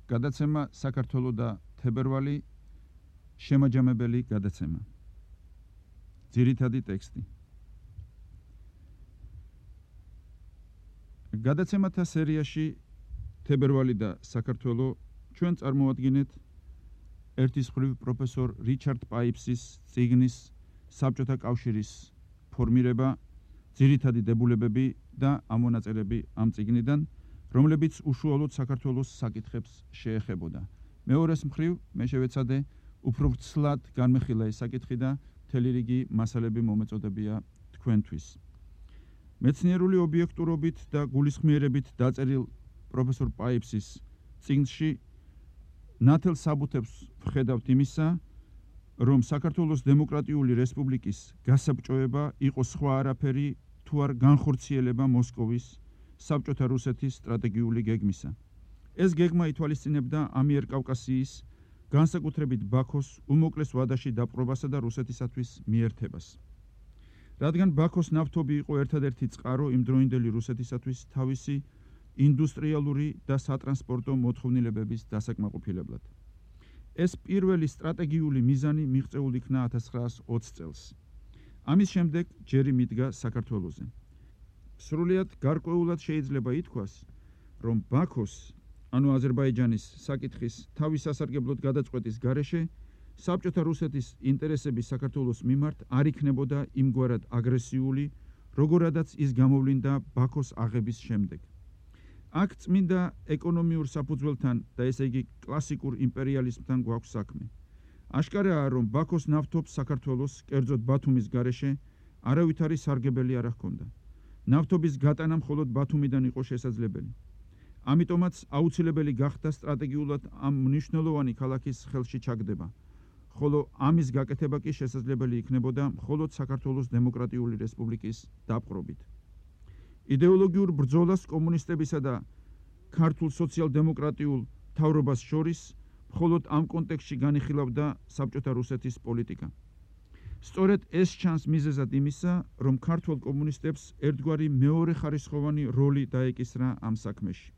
გადაცემა საქართველო და თებერვალი შემაჯამებელი გადაცემა. ძირითადი ტექსტი. გადაცემათა სერიაში თებერვალი და საქართველო ჩვენ წარმოადგენთ ერთის მხრივ პროფესორ რიჩარდ პაიპსის წიგნის საბჭოთა კავშირის ფორმირება, ძირითადი დებულებები და ამონაწერები ამ წიგნიდან, რომლებიც უშუალოდ საქართველოს საკითხებს შეეხებოდა. მეორეს მხრივ მე შევეცადე უფრო ვრცლად განმეხილა ეს საკითხი და მთელი რიგი მასალები მომეწოდებია თქვენთვის. მეცნიერული ობიექტურობით და გულისხმიერებით დაწერილ პროფესორ პაიპსის წიგნში ნათელ საბუთებს ვხედავთ იმისა, რომ საქართველოს დემოკრატიული რესპუბლიკის გასაბჭოება იყო სხვა არაფერი თუ არ განხორციელება მოსკოვის საბჭოთა რუსეთის სტრატეგიული გეგმისა. ეს გეგმა ითვალისწინებდა ამიერკავკასიის, განსაკუთრებით ბაქოს უმოკლეს ვადაში დაპყრობასა და რუსეთისათვის მიერთებას. რადგან ბაქოს ნავთობი იყო ერთადერთი წყარო იმდროინდელი რუსეთისათვის თავისი ინდუსტრიალური და სატრანსპორტო მოთხოვნილებების დასაკმაყოფილებლად. ეს პირველი სტრატეგიული მიზანი მიღწეულ იქნა 1920 წელს. ამის შემდეგ ჯერი მიდგა საქართველოზე. სრულიად გარკვეულად შეიძლება ითქვას, რომ ბაქოს, ანუ აზერბაიჯანის საკითხის თავის სასარგებლოდ გადაწყვეტის გარეშე, საბჭოთა რუსეთის ინტერესები საქართველოს მიმართ არ იქნებოდა იმგვარად აგრესიული, როგორადაც ის გამოვლინდა ბაქოს აღების შემდეგ. აქ წმინდა ეკონომიურ საფუძველთან და ესე იგი კლასიკურ იმპერიალიზმთან გვაქვს საქმე. აშკარაა, რომ ბაქოს ნავთობს საქართველოს, კერძოდ ბათუმის გარეშე, არავითარი სარგებელი არ ჰქონდა. ნავთობის გატანა მხოლოდ ბათუმიდან იყო შესაძლებელი. ამიტომაც აუცილებელი გახდა სტრატეგიულად ამ მნიშვნელოვანი ქალაქის ხელში ჩაგდება, ხოლო ამის გაკეთება კი შესაძლებელი იქნებოდა მხოლოდ საქართველოს დემოკრატიული რესპუბლიკის დაპყრობით. იდეოლოგიურ ბრძოლას კომუნისტებისა და ქართულ სოციალ-დემოკრატიულ მთავრობას შორის მხოლოდ ამ კონტექსტში განიხილავდა საბჭოთა რუსეთის პოლიტიკა. სწორედ ეს ჩანს მიზეზად იმისა, რომ ქართულ კომუნისტებს ერთგვარი მეორეხარისხოვანი როლი დაეკისრა ამ საქმეში.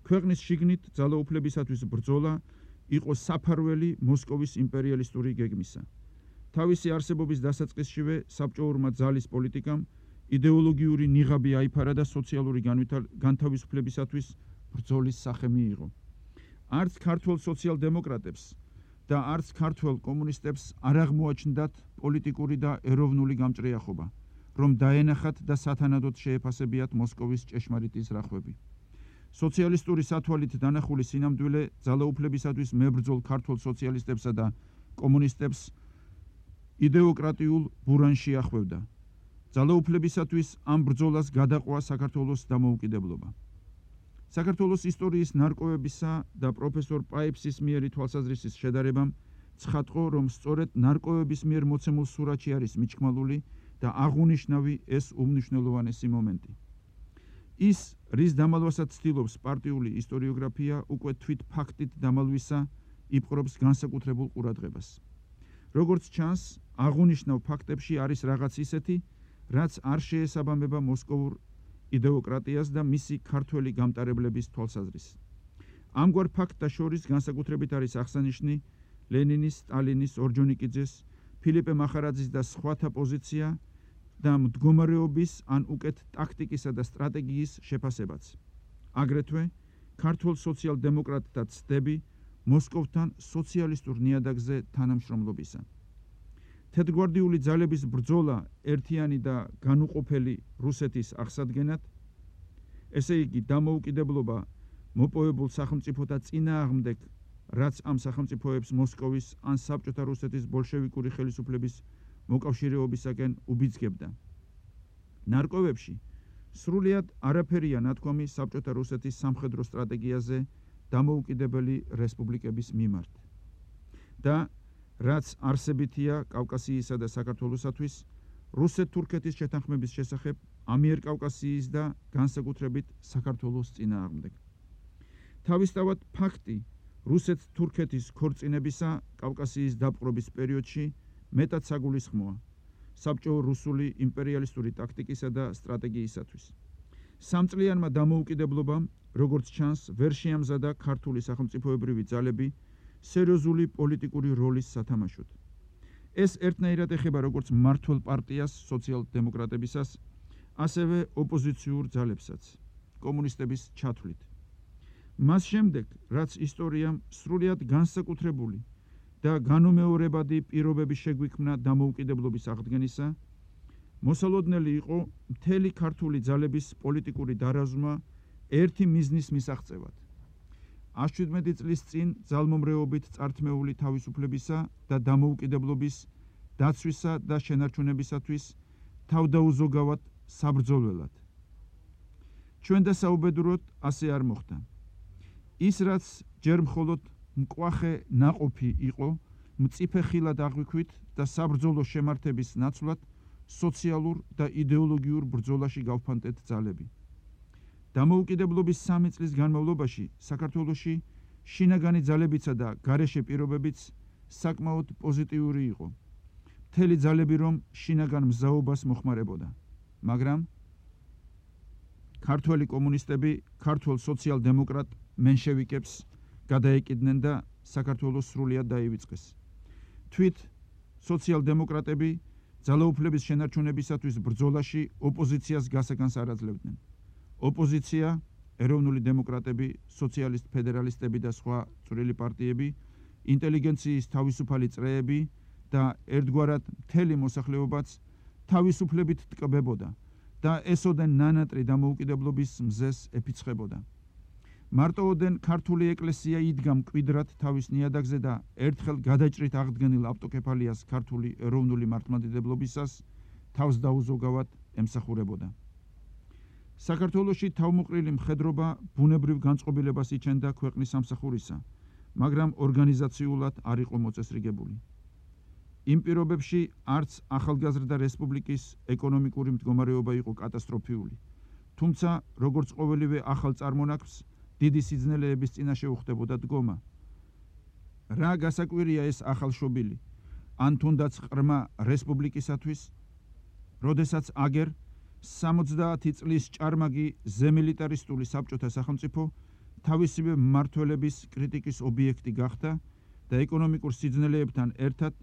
ქვეყნის შიგნით ძალაუფლებისათვის ბრძოლა იყო საფარველი მოსკოვის იმპერიალისტური გეგმისა. თავისი არსებობის დასაწყისშივე საბჭოურმა ძალის პოლიტიკამ იდეოლოგიური ნიღაბი აიფარა და სოციალური განთავისუფლებისათვის ბრძოლის სახე მიიღო. არც ქართველ სოციალ-დემოკრატებს და არც ქართველ კომუნისტებს არ აღმოაჩნდათ პოლიტიკური და ეროვნული გამჭრიახობა, რომ დაენახათ და სათანადოდ შეეფასებიათ მოსკოვის ჭეშმარიტი ზრახვები. სოციალისტური სათვალით დანახული სინამდვილე ძალაუფლებისათვის მებრძოლ ქართველ სოციალისტებსა და კომუნისტებს იდეოკრატიულ ბურანში ახვევდა. ძალაუფლებისათვის ამ ბრძოლას გადაყვა საქართველოს დამოუკიდებლობა. საქართველოს ისტორიის ნარკვევებისა და პროფესორ პაიპსის მიერი თვალსაზრისის შედარებამ ცხადყო, რომ სწორედ ნარკვევების მიერ მოცემულ სურათში არის მიჩქმალული და აღუნიშნავი ეს უმნიშვნელოვანესი მომენტი. ის, რის დამალვასაც ცდილობს პარტიული ისტორიოგრაფია, უკვე თვით ფაქტით დამალვისა იპყრობს განსაკუთრებულ ყურადღებას. როგორც ჩანს, აღუნიშნავ ფაქტებში არის რაღაც ისეთი, რაც არ შეესაბამება მოსკოვურ იდეოკრატიას და მისი ქართველი გამტარებლების თვალსაზრისს. ამგვარ ფაქტთა შორის განსაკუთრებით არის აღსანიშნი ლენინის, სტალინის, ორჯონიკიძეს, ფილიპე მახარაძის და სხვათა პოზიცია და მდგომარეობის ან უკეთ ტაქტიკისა და სტრატეგიის შეფასებაც. აგრეთვე ქართველ სოციალ-დემოკრატთა ცდები მოსკოვთან სოციალისტურ ნიადაგზე თანამშრომლობისა. თეთრგვარდიული ძალების ბრძოლა ერთიანი და განუყოფელი რუსეთის აღსადგენად, ესე იგი დამოუკიდებლობა მოპოვებულ სახელმწიფოთა წინააღმდეგ, რაც ამ სახელმწიფოებს მოსკოვის ან საბჭოთა რუსეთის ბოლშევიკური ხელისუფლების მოკავშირეობისაკენ უბიძგებდა. ნარკვევებში სრულიად არაფერია ნათქვამი საბჭოთა რუსეთის სამხედრო სტრატეგიაზე დამოუკიდებელი რესპუბლიკების მიმართ. და რაც არსებითია კავკასიისა და საქართველოსათვის, რუსეთ-თურქეთის შეთანხმების შესახებ ამიერკავკასიის და განსაკუთრებით საქართველოს წინააღმდეგ. თავისთავად ფაქტი რუსეთ-თურქეთის ქორწინებისა კავკასიის დაპყრობის პერიოდში მეტად საგულისხმოა საბჭო-რუსული იმპერიალისტური ტაქტიკისა და სტრატეგიისათვის. სამწლიანმა დამოუკიდებლობამ, როგორც ჩანს, ვერ შეამზადა ქართული სახელმწიფოებრივი ძალები სერიოზული პოლიტიკური როლის სათამაშოდ. ეს ერთნაირად ეხება როგორც მმართველ პარტიას სოციალ-დემოკრატებისას, ასევე ოპოზიციურ ძალებსაც, კომუნისტების ჩათვლით. მას შემდეგ, რაც ისტორიამ სრულიად განსაკუთრებული და განუმეორებადი პირობები შეგვიქმნა დამოუკიდებლობის აღდგენისა, მოსალოდნელი იყო მთელი ქართული ძალების პოლიტიკური დარაზმა ერთი მიზნის მისაღწევად. 17 წლის წინ ძალმომრეობით წართმეული თავისუფლებისა და დამოუკიდებლობის დაცვისა და შენარჩუნებისათვის თავდაუზოგავად საბრძოლველად. ჩვენ და საუბედუროდ ასე არ მოხდა. ის, რაც ჯერ მხოლოდ მკვახე ნაყოფი იყო, მწიფე ხილად აღვიქვით და საბრძოლო შემართების ნაცვლად სოციალურ და იდეოლოგიურ ბრძოლაში გავფანტეთ ძალები. დამოუკიდებლობის 3 წლის განმავლობაში საქართველოში შინაგანი ძალებიცა და გარეშე პირობებიც საკმაოდ პოზიტიური იყო. მთელი ძალები რომ შინაგან მზაობას მოხმარებოდა, მაგრამ ქართველი კომუნისტები ქართველ სოციალ-დემოკრატ მენშევიკებს გადაეკიდნენ და საქართველოს სრულიად დაივიწყეს. თვით სოციალ-დემოკრატები ძალაუფლების შენარჩუნებისათვის ბრძოლაში ოპოზიციას გასაგანს არ აძლევდნენ. ოპოზიცია, ეროვნული დემოკრატები, სოციალისტ-ფედერალისტები და სხვა წვრილი პარტიები, ინტელიგენციის თავისუფალი წრეები და ერთგვარად მთელი მოსახლეობაც თავისუფლებით ტკბებოდა და ესოდენ ნანატრი დამოუკიდებლობის მზეს ეფიცხებოდა. მარტოოდენ ქართული ეკლესია იდგა მკვიდრად თავის ნიადაგზე და ერთხელ გადაჭრით აღდგენილ ავტოკეფალიას ქართული ეროვნული მართლმადიდებლობისას თავს დაუზოგავად ემსახურებოდა. საქართველოში თავმოყრილი მხედრობა ბუნებრივ განწყობილებას იჩენდა ქვეყნის სამსახურისა, მაგრამ ორგანიზაციულად არ იყო მოწესრიგებული. იმ პირობებში არც ახალგაზრდა რესპუბლიკის ეკონომიკური მდგომარეობა იყო კატასტროფიული, თუმცა როგორც ყოველივე ახალ წარმონაქმს დიდი სიძნელეების წინაშე უხდებოდა დგომა. რა გასაკვირია ეს ახალშობილი, ან თუნდაც ყრმა რესპუბლიკისათვის, როდესაც აგერ 70 წლის ჭარმაგი ზემილიტარისტული საბჭოთა სახელმწიფო თავისივე მმართველების კრიტიკის ობიექტი გახდა და ეკონომიკურ სიძნელეებთან ერთად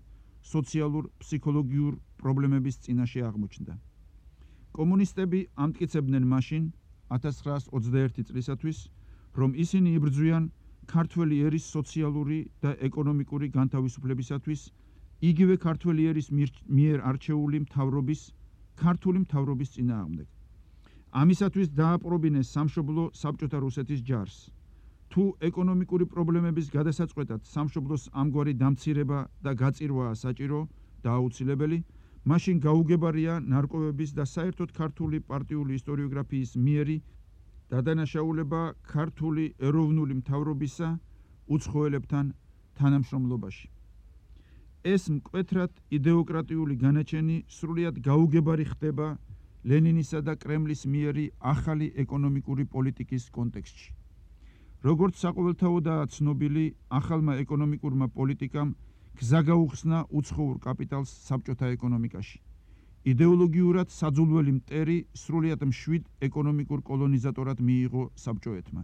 სოციალურ-ფსიქოლოგიურ პრობლემების წინაშე აღმოჩნდა. კომუნისტები ამტკიცებდნენ მაშინ 1921 წლისათვის, რომ ისინი იბრძვიან ქართველი ერის სოციალური და ეკონომიკური განთავისუფლებისათვის იგივე ქართველი ერის მიერ არჩეული მთავრობის, ქართული მთავრობის წინააღმდეგ. ამისათვის დააპრობინეს სამშობლო საბჭოთა რუსეთის ჯარს. თუ ეკონომიკური პრობლემების გადასაწყვეტად სამშობლოს ამგვარი დამცირება და გაწირვაა საჭირო და აუცილებელი, მაშინ გაუგებარია ნარკვევების და საერთოდ ქართული პარტიული ისტორიოგრაფიის მიერი დადანაშაულება ქართული ეროვნული მთავრობისა უცხოელებთან თანამშრომლობაში. ეს მკვეთრად იდეოკრატიული განაჩენი სრულიად გაუგებარი ხდება ლენინისა და კრემლის მიერი ახალი ეკონომიკური პოლიტიკის კონტექსტში. როგორც საყოველთაოდაა ცნობილი, ახალმა ეკონომიკურმა პოლიტიკამ გზა გაუხსნა უცხოურ კაპიტალს საბჭოთა ეკონომიკაში. იდეოლოგიურად საძულველი მტერი სრულიად მშვიდ ეკონომიკურ კოლონიზატორად მიიღო საბჭოეთმა.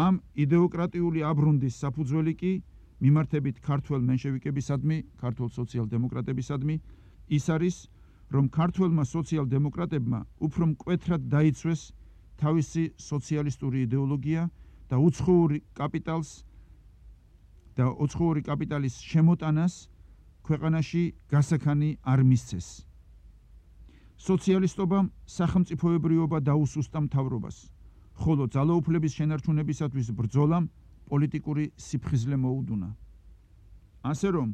ამ იდეოკრატიული აბრუნდის საფუძველი კი მიმართებით ქართველ მენშევიკებისადმი, ქართულ სოციალ-დემოკრატებისადმი, ის არის, რომ ქართველმა სოციალ-დემოკრატებმა უფრო მკვეთრად დაიცვეს თავისი სოციალისტური იდეოლოგია და უცხოური კაპიტალის შემოტანას ქვეყანაში გასაქანი არ მისცეს. სოციალისტობამ სახელმწიფოებრიობა დაუსუსტა მთავრობას, ხოლო ძალაუფლების შენარჩუნებისათვის ბრძოლამ პოლიტიკური სიფხიზლე მოუდუნა. ასე რომ,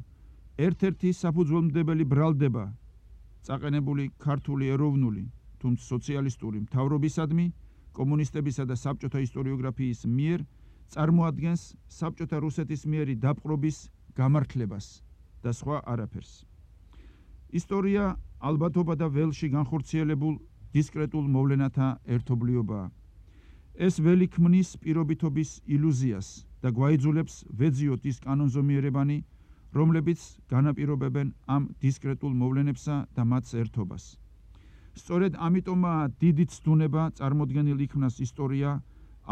ერთ-ერთი საფუძველმდებელი ბრალდება წაყენებული ქართული ეროვნული, თუმცა სოციალისტური მთავრობისადმი, კომუნისტებისა და საბჭოთა ისტორიოგრაფიის მიერ წარმოადგენს საბჭოთა რუსეთის მიერი დაპყრობის გამართლებას და სხვა არაფერს. ისტორია ალბათობა და ველში განხორციელებულ დისკრეტულ მოვლენათა ერთობლიობაა. ეს ველი ქმნის პირობითობის ილუზიას და გვაიძულებს ვეძიოთ ის კანონზომიერებანი, რომლებიც განაპირობებენ ამ დისკრეტულ მოვლენებსა და მათს ერთობას. სწორედ ამიტომაა დიდი ცდუნება წარმოდგენილ იქნას ისტორია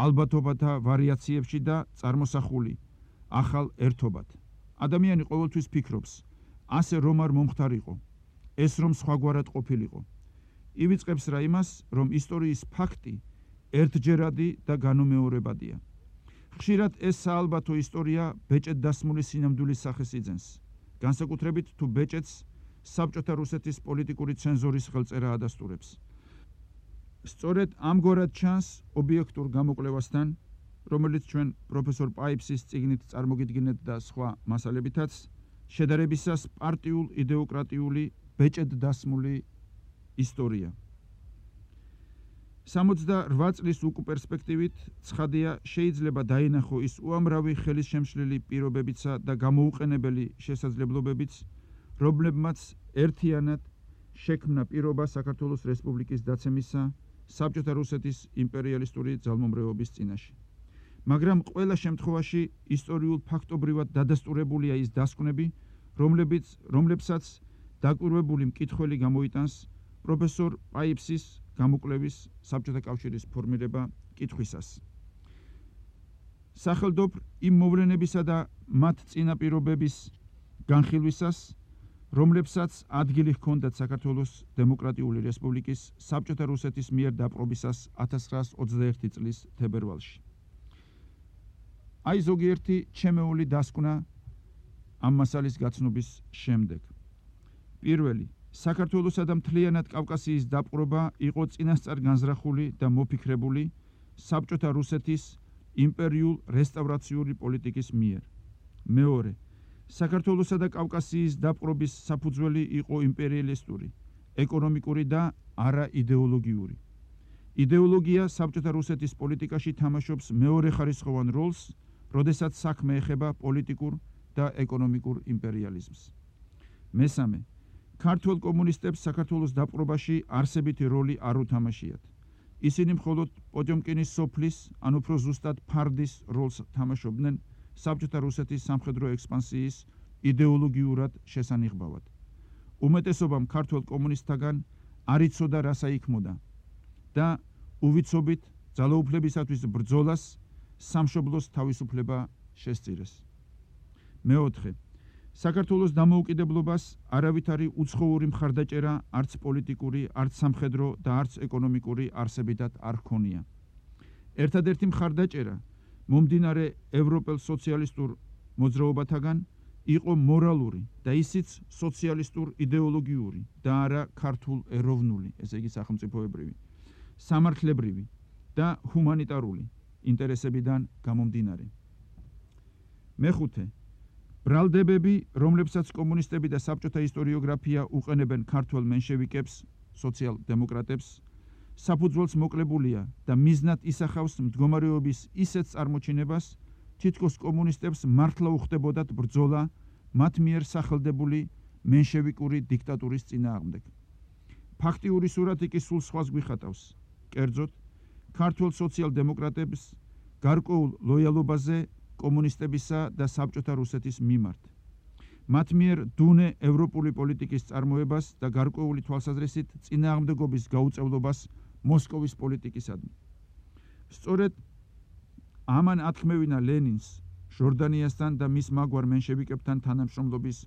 ალბათობათა ვარიაციებში და წარმოსახული ახალ ერთობად. ადამიანი ყოველთვის ფიქრობს, ასე რომ არ მომხდარიყო, ეს რომ სხვაგვარად ყოფილიყო. ივიწყებს რა იმას, რომ ისტორიის ფაქტი ერთჯერადი და განუმეორებადია. ხშირად ეს საალბათო ისტორია ბეჭედ დასმული სინამდვილის სახეს იძენს, განსაკუთრებით თუ ბეჭედს საბჭოთა რუსეთის პოლიტიკური ცენზორის ხელწერა ადასტურებს. სწორედ ამგვარად ჩანს ობიექტურ გამოკვლევასთან, რომელიც ჩვენ პროფესორ პაიფსის წიგნით წარმოგიდგინეთ და სხვა მასალებითაც, შედარებისას პარტიულ იდეოკრატიული ბეჭედ დასმული ისტორია. 68 წლის უკუპერსპექტივით ცხადია შეიძლება დაინახო ის უამრავი ხელისშემშლელი პირობებიცა და გამოუყენებელი შესაძლებლობებიც, რომლებმაც ერთიანად შექმნა პირობა საქართველოს რესპუბლიკის დაცემისა საბჭოთა რუსეთის იმპერიალისტური ძალმომრევობის წინაშე. მაგრამ ყველა შემთხვევაში ისტორიულ ფაქტობრივად დადასტურებულია ის დასკვნები, რომლებსაც დაკვირვებული მკითხველი გამოიტანს პროფესორ პაიფსის გამოკვლევის საბჭოთა კავშირის ფორმირება კითხვისას. სახელდობ იმ მოვლენებისა და მათ წინაპირობების განხილვისას, რომლებსაც ადგილი ჰქონდათ საქართველოს დემოკრატიული რესპუბლიკის საბჭოთა რუსეთის მიერ დაპყრობისას 1921 წლის თებერვალში. აი ზოგიერთი ჩემეული დასკვნა ამ მასალის გაცნობის შემდეგ. პირველი, საქართველოსა და მთლიანად კავკასიის დაპყრობა იყო წინასწარ განზრახული და მოფიქრებული საბჭოთა რუსეთის იმპერიულ რესტავრაციული პოლიტიკის მიერ. მეორე, საქართველოსა და კავკასიის დაპყრობის საფუძველი იყო იმპერიალისტური, ეკონომიკური და არა იდეოლოგიური. იდეოლოგია საბჭოთა რუსეთის პოლიტიკაში თამაშობს მეორეხარისხოვან როლს, როდესაც საქმე ეხება პოლიტიკურ და ეკონომიკურ იმპერიალიზმს. მესამე, ქართველ კომუნისტებს საქართველოს დაპყრობაში არსებითი როლი არ უთამაშიათ. ისინი მხოლოდ პოტიომკინის სოფლის, ან უფრო ზუსტად ფარდის როლს თამაშობდნენ საბჭოთა რუსეთის სამხედრო ექსპანსიის იდეოლოგიურად შესანიღბავად. უმეტესობამ ქართველ კომუნისტთაგან არ იცოდა რა საიქმოდა და უვიცობით ძალაუფლებისათვის ბრძოლას სამშობლოს თავისუფლება შესწირეს. მეოთხე, საქართველოს დამოუკიდებლობას არავითარი უცხოური მხარდაჭერა არც პოლიტიკური, არც სამხედრო და არც ეკონომიკური არსებითად არ ჰქონია. ერთადერთი მხარდაჭერა მომდინარე ევროპელ სოციალისტურ მოძრაობათაგან იყო მორალური და ისიც სოციალისტურ იდეოლოგიური და არა ქართულ ეროვნული, ესე იგი სახელმწიფოებრივი, სამართლებრივი და ჰუმანიტარული ინტერესებიდან გამომდინარე. მეხუთე, ბრალდებები, რომლებსაც კომუნისტები და საბჭოთა ისტორიოგრაფია უყენებენ ქართველ მენშევიკებს, სოციალ-დემოკრატებს, საფუძველს მოკლებულია და მიზნად ისახავს მდგომარეობის ისეთ წარმოჩინებას, თითქოს კომუნისტებს მართლა უხდებოდათ ბრძოლა მათ მიერ სახელდებული მენშევიკური დიქტატურის წინააღმდეგ. ფაქტიური სურათი კი სულ სხვას გვიხატავს. კერძოდ, ქართველ სოციალ-დემოკრატებს გარკვეულ ლოიალობაზე კომუნისტებისა და საბჭოთა რუსეთის მიმართ. მათ მიერ დუნე ევროპული პოლიტიკის წარმოებას და გარკვეული თვალსაზრისით წინააღმდეგობის გაუწევლობას მოსკოვის პოლიტიკისადმი. სწორედ ამან ათქმევინა ლენინს ჟორდანიასთან და მის მაგვარ მენშევიკებთან თანამშრომლობის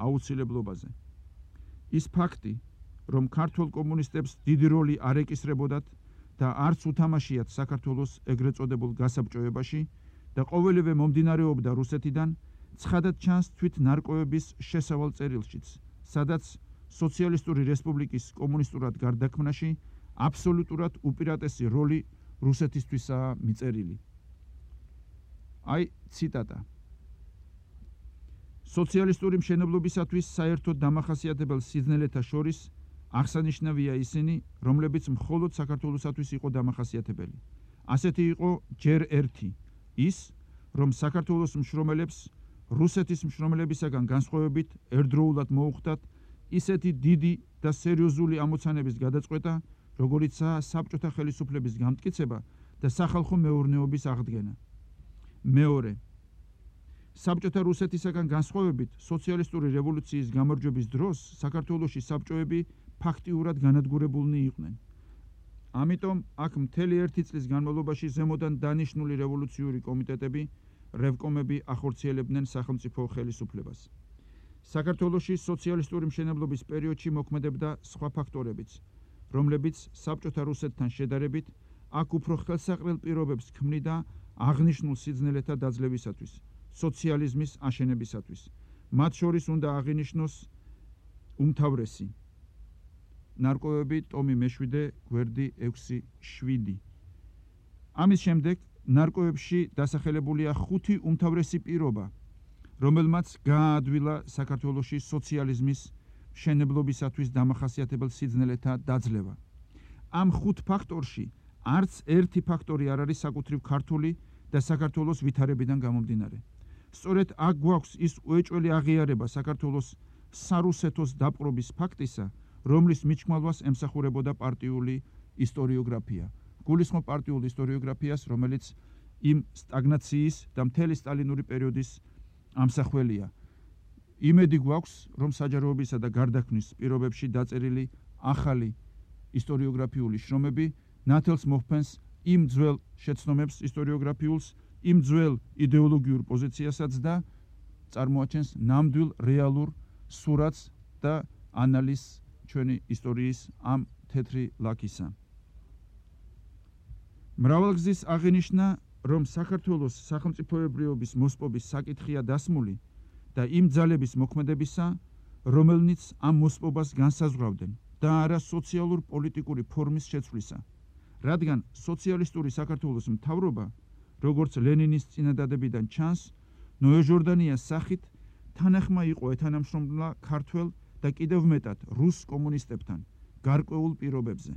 აუცილებლობაზე. ის ფაქტი, რომ ქართველ კომუნისტებს დიდი როლი არ ეკისრებოდათ და არც უთამაშიათ საქართველოს ეგრეთ წოდებულ გასაბჭოებაში და ყოველივე მომდინარეობდა რუსეთიდან, ცხადად ჩანს თვით ნარკვევების შესავალ წერილშიც, სადაც სოციალისტური რესპუბლიკის კომუნისტურად გარდაქმნაში აბსოლუტურად უპირატესი როლი რუსეთისთვისაა მიწერილი. აი ციტატა. სოციალისტური მშენებლობისათვის საერთოდ დამახასიათებელ სიძნელეთა შორის აღსანიშნავია ისინი, რომლებიც მხოლოდ საქართველოსათვის იყო დამახასიათებელი. ასეთი იყო ჯერ ერთი, ის, რომ საქართველოს მშრომელებს რუსეთის მშრომელებისაგან განსხვავებით ერთდროულად მოუხდათ ისეთი დიდი და სერიოზული ამოცანების გადაწყვეტა, როგორიცაა საბჭოთა ხელისუფლების გამტკიცება და სახალხო მეურნეობის აღდგენა. მეორე, საბჭოთა რუსეთისაგან განსხვავებით სოციალისტური რევოლუციის გამარჯვების დროს საქართველოში საბჭოები ფაქტიურად განადგურებულნი იყვნენ. ამიტომ აქ მთელი 1 წლის განმავლობაში ზემოდან დანიშნული რევოლუციური კომიტეტები, რევკომები ახორციელებდნენ სახელმწიფო ხელისუფლებას. საქართველოში სოციალისტური მშენებლობის პერიოდში მოქმედებდა სხვა ფაქტორებიც, რომლებიც საბჭოთა რუსეთთან შედარებით აქ უფრო ხელსაყრელ პირობებს ქმნიდა აღნიშნულ სიძნელეთა დაძლევისათვის, სოციალიზმის აშენებისათვის. მათ შორის უნდა აღინიშნოს უმთავრესი ნარკვევები ტომი მე-7, გვერდი 6-7. ამის შემდეგ ნარკვევებში დასახელებულია 5 უმთავრესი პირობა, რომელმაც გააადვილა საქართველოში სოციალიზმის მშენებლობისათვის დამახასიათებელ სიძნელეთა დაძლევა. ამ 5 ფაქტორში არც ერთი ფაქტორი არ არის საკუთრივ ქართული და საქართველოს ვითარებიდან გამომდინარე. სწორედ აქ გვაქვს ის უეჭველი აღიარება საქართველოს სარუსეთოს დაპყრობის ფაქტისა, რომლის მიჩქმალვას ემსახურებოდა პარტიული ისტორიოგრაფია. გულისხმობ პარტიულ ისტორიოგრაფიას, რომელიც იმ სტაგნაციის და მთელი სტალინური პერიოდის ამსახველია. იმედი გვაქვს, რომ საჯაროებისა და გარდაქმნის პირობებში დაწერილი ახალი ისტორიოგრაფიული შრომები ნათელს მოჰფენს იმ ძველ შეცდომებს ისტორიოგრაფიულს, იმ ძველ იდეოლოგიურ პოზიციასაც და წარმოაჩენს ნამდვილ რეალურ სურათს და ანალიზს ჩვენი ისტორიის ამ თეთრი ლაქისა. მრავალგზის აღინიშნა, რომ საქართველოს სახელმწიფოებრიობის მოსპობის საკითხია დასმული და იმ ძალების მოქმედებისა, რომელნიც ამ მოსპობას განსაზღვრავდნენ და არა სოციალურ-პოლიტიკური ფორმის შეცვლისა. რადგან სოციალისტური საქართველოს მთავრობა, როგორც ლენინის წინადადებიდან ჩანს, ნოე-ჟორდანიას სახით თანახმა იყო ეთანამშრომლა ქართველ და კიდევ მეტად რუს კომუნისტებთან გარკვეულ პირობებზე.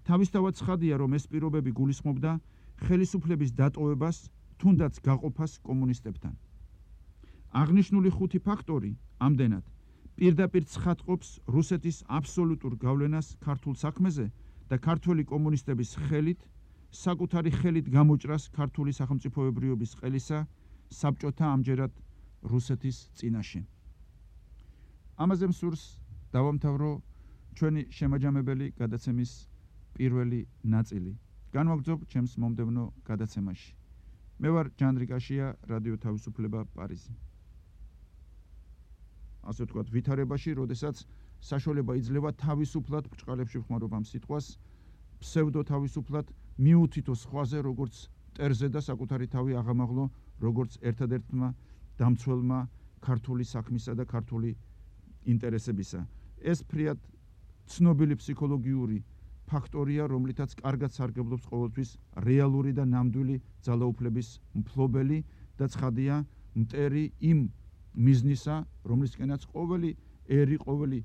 თავისთავად ცხადია, რომ ეს პირობები გულისხმობდა ხელისუფლების დატოვებას, თუნდაც გაყოფას კომუნისტებთან. აღნიშნული 5 ფაქტორი ამდენად პირდაპირ ცხადყოფს რუსეთის აბსოლუტურ გავლენას ქართულ საქმეზე და ქართველი კომუნისტების ხელით, საკუთარი ხელით გამოჭრას ქართული სახელმწიფოებრიობის ყელისა საბჭოთა ამჯერად რუსეთის წინაშე. ამაზე მსურს დავამთავრო ჩვენი შემაჯამებელი გადაცემის პირველი ნაწილი. განვაგრძობ ჩემს მომდევნო გადაცემაში. მე ვარ ჯანდრიკაშია, რადიო თავისუფლება, პარიზი. ასე ვთქვათ, ვითარებაში, როდესაც საშუალება იძლევა თავისუფლად ბრჭყალებში ვხმარობ ამ სიტყვას, ფსევდო თავისუფლად მიუთითო სხვაზე, როგორც მტერზე და საკუთარი თავი აღამაღლო, როგორც ერთადერთმა დამცველმა ქართული საქმისა და ქართული ინტერესებისა. ეს ფრიად ცნობილი ფსიქოლოგიური ფაქტორია, რომლითაც კარგად სარგებლობს ყოველთვის რეალური და ნამდვილი ძალაუფლების მფლობელი და ცხადია მტერი იმ მიზნისა, რომლისკენაც ყოველი ერი, ყოველი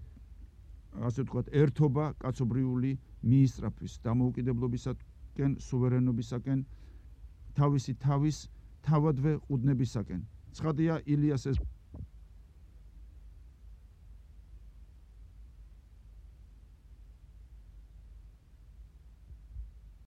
ასე ვთქვათ, ერთობა კაცობრიული მიისწრაფვის დამოუკიდებლობისაკენ, სუვერენობისაკენ, თავისი თავის თავადვე ყუდნებისაკენ. ცხადია ილიას ეს